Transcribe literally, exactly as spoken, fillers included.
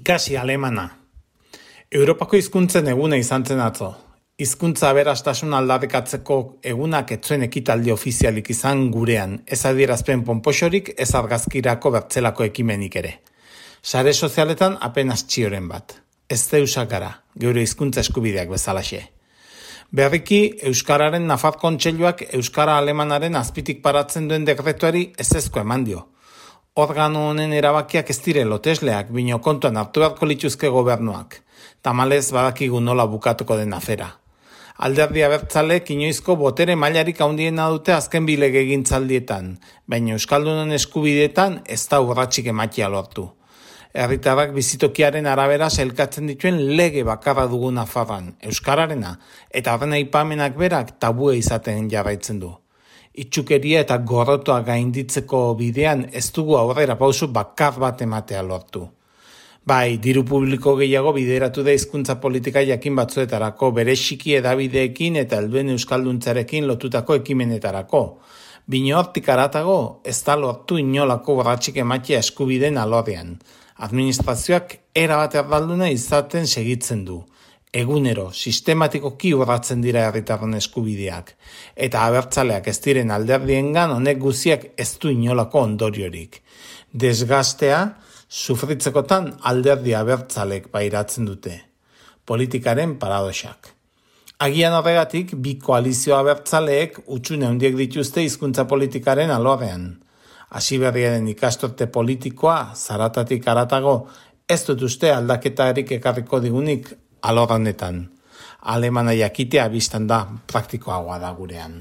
Ikasi alemana. Europako hizkuntzen eguna izan zen atzo. Hizkuntza aberastasun aldarrikatzeko egunak ez zuen ekitaldi ofizialik izan gurean, ez adierazpen ponpoxorik, ez argazkirako bertzelako ekimenik ere. Sare sozialetan apenas txioren bat. Ez deusak gara, geure hizkuntza eskubideak bezalaxe. Berriki, Euskararen Nafar Kontseiluak Euskara Alemanaren azpitik paratzen duen dekretuari ezezko eman dio. Organo honen erabakiak ez dire lotesleak, bino kontuan hartu beharko lituzke gobernuak. Tamalez badakigu nola bukatuko den afera. Alderdi abertzaleek inoizko botere mailarik handiena dute azken bi legegintzaldietan, baina Euskaldunen eskubideetan ez da urratsik ematia lortu. Herritarrak bizitokiaren arabera sailkatzen dituen lege bakarra dugu Nafarroan, Euskararena, eta horren aipamenak berak tabue izaten jarraitzen du. Itxukeria eta gorrotoa gainditzeko bidean ez dugu aurrera pausu bakar bat ematea lortu. Bai, diru publiko gehiago bideratu da hizkuntza politika jakin batzuetarako, bereziki hedabideekin eta helduen euskalduntzarekin lotutako ekimenetarako. Bino hortik haratago, ez da lortu inolako urratsik ematia eskubideen alorrean. Administrazioak erabat erdalduna izaten segitzen du. Egunero, sistematikoki urratzen dira herritarron eskubideak, eta abertzaleak ez diren alderdiengan honek guziak ez du inolako ondoriorik. Desgastea, sufritzekotan alderdi abertzalek pairatzen dute. Politikaren paradoxak. Agian horregatik, bi koalizio abertzaleek utxune handiek dituzte hizkuntza politikaren alorrean. Hasiberriaren ikastorte politikoa, zaratatik haratago, ez dut uste aldaketarik ekarriko digunik alor honetan. Alemana jakitea biztan da praktikoagoa da gurean.